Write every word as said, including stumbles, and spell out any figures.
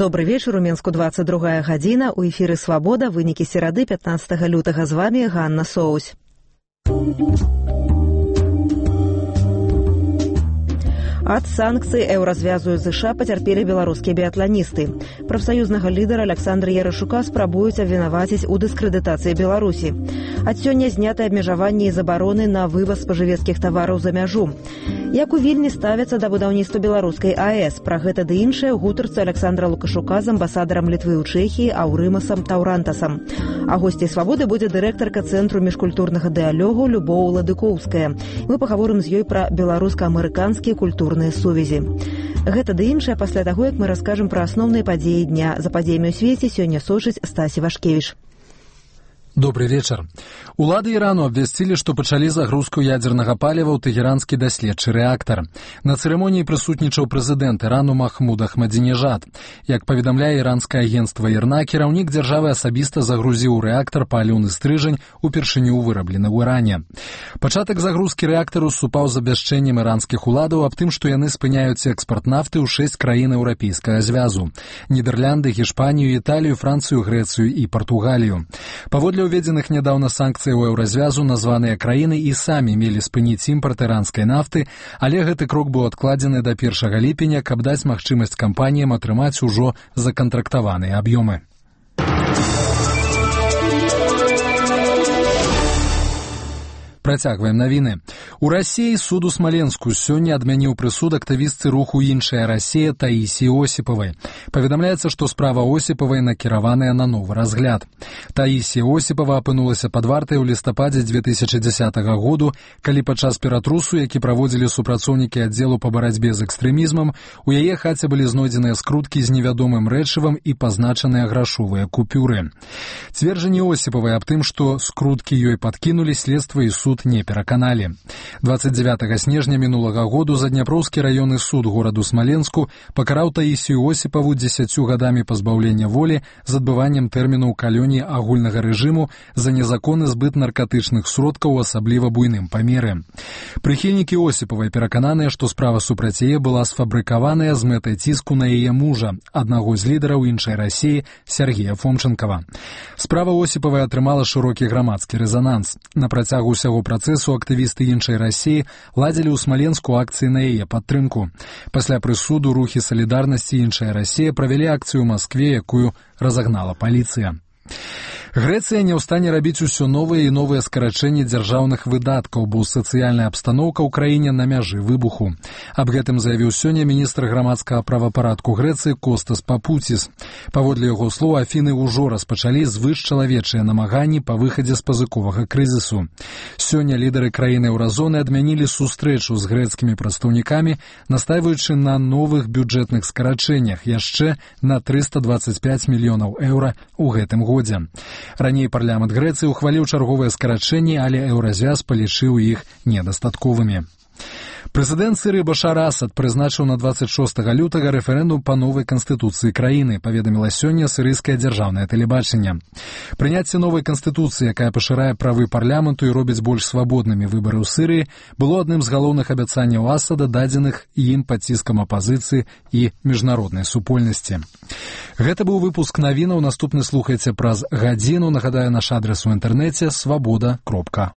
Добрый вечер, у Мінску двадцать другая гадзіна, у эфіры «Свабода», вынікі серады пятнадцатага лютага. З вами Ганна Соусь. Ад санкцый еўразвязу ЗША пацярпелі беларускія біятланісты. Прафсаюзнага лідара Александра Ярашука спрабуюць абвінаваціць у дыскрэдытацыі Беларусі. Ад сёння знятыя абмежаванні і забароны на вываз спажывецкіх тавараў за мяжу. Як у Вільні ставяцца да будаўніцтва беларускай АЭС? Пра гэта ды іншае ў гутарцы Александра Лукашука з амбасадарам Літвы ў Чэхіі Аўрымасам Таўрантасам. А госцей «Свабоды» будзе дырэктарка Цэнтру міжкультурнага дыялогу Любоў Ладыкоўская. Мы пагаворым з ёй пра беларуска-амерыканскія культурныя сувязі. Гэта ды іншае пасля таго, як мы раскажам пра асноўныя падзеі дня. За падзеямі ў свеце сёння сочыць Стасі Вашкевіч. Добрый вечер. Улады Ірану абвясцілі, што пачалі загрузку ядзернага паліва ў тэгеранскі даследчы рэактар. На цырымоніі прысутнічаў прэзідэнт Ірану Махмуд Ахмадзінежад. Як паведамляе іранскае агенцтва ІРНА, кіраўнік дзяржавы асабіста загрузіў у рэактар паліўны стрыжань, упершыню выраблены ў Іране. Пачатак загрузкі рэактару супаў з абвяшчэннем іранскіх уладаў аб тым, што яны спыняюць экспарт нафты ў шэсць краін еўрапейскага звязу: Нідерланды, Гішпанію, Італію, Францыю, Грэцыю і Партугалію. Паводле уведзеных нядаўна санкцый у еўразвязу названыя краіны і самі мелі спыніць імпарт іранскай нафты, але гэты крок быў адкладзены да першага ліпеня, каб даць магчымасць кампаніям атрымаць ужо законтрактаваныя аб'ёмы. Працягваем навіны. У Расіі суд у Смаленску сёння адмяніў прысуд актывістцы руху «Іншая Расія» Таісіі Осіпавай. Паведамляецца, што справа Осіпавай накіраваная на новы разгляд. Таісія Осіпава апынулася пад вартай у лістападзе дзве тысячы дзесятага году, калі падчас ператрусу, які праводзілі супрацоўнікі аддзелу па барацьбе з экстрэмізмам, у яе хаце былі знойдзеныя скруткі з невядомым рэчывам і пазначаныя грашовыя купюры. Цверджанні Осіпавай аб тым, што скруткі ёй падкінулі, следства і суд не пераканалі. двадцать девятага снежня мінулага году Задняпроўскі раённы суд гораду Смаленску пакараў Таісію Осіпаву дзесяццю гадамі пазбаўлення волі з адбываннем тэрміну ў калоніі агульнага рэжыму за незаконны збыт наркатычных сродкаў у асабліва буйным памеры. Прыхільнікі Осіпавай перакананыя, што справа супраць яе была сфабрыкаваная з мэтай ціску на яе мужа, аднаго з лідараў іншай Расіі Сергея Фомченкова. Справа Осіпавай атрымала шырокі грамадскі рэзананс. На працягу ўсяго працэсу актывісты іншай Расіі ладзілі ў Смаленску акцыі на яе падтрымку. Пасля прысуду рухі салідарнасці іншая Расія правялі акцыю ў Маскве, якую разагнала паліцыя. Грэцыя не ў стане рабіць усё новыя і новыя скарачэнні дзяржаўных выдаткаў, бо сацыяльная абстаноўка ў краіне на мяжы выбуху. Аб гэтым заявіў сёння міністр грамадскага правапарадку Грэцыі Костас Папуціс. Паводле яго слоў, Афіны ўжо распачалі звышчалавечыя намаганні па выхадзе з пазыковага крызісу. Сёння лідары краіны еўразоны адмянілі сустрэчу з грэцкімі прадстаўнікамі, настайваючы на новых бюджэтных скарачэннях яшчэ на трыста дваццаць пяць мільёнаў еўра ў гэтым годзе. Раней парламент Грэцыі ухваліў чарговыя скарачэнні, але еўразвяз палічыў іх недастатковымі. Прэзідэнт Сірыі Башар Асад прызначыў на двадцать шостага лютага рэферэндум па новай канстытуцыі краіны, паведаміла сёння сірыйскае дзяржаўнае тэлебачанне. Прыняцце новай канстытуцыі, якая пашырае правы парламенту і робіць больш свабоднымі выбары ў Сірыі, было адным з галоўных абяцанняў Асада, дадзеных ім пад ціскам апазіцыі і міжнароднай супольнасці. Гэта быў выпуск навінаў, наступны слухайце праз гадзіну. Нагадаю, наш адрес у інтэрнэце свабода кропка